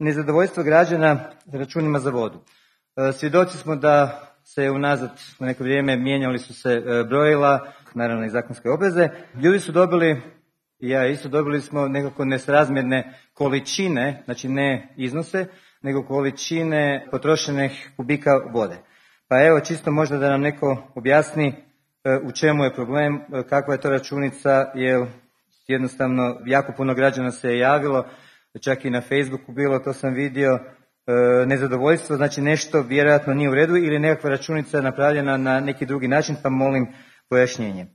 Nezadovoljstvo građana računima za vodu. Svjedoci smo da se unazad na neko vrijeme mijenjali su se brojila, naravno i zakonske obveze. Ljudi su dobili, i ja isto, dobili smo nekako nesrazmjerne količine, znači ne iznose, nego količine potrošenih kubika vode. Pa evo, čisto možda da nam neko objasni u čemu je problem, kakva je to računica, jer jednostavno jako puno građana se je javilo, čak i na Facebooku bilo, to sam vidio, nezadovoljstvo, znači nešto vjerojatno nije u redu ili nekakva računica napravljena na neki drugi način, pa molim pojašnjenje.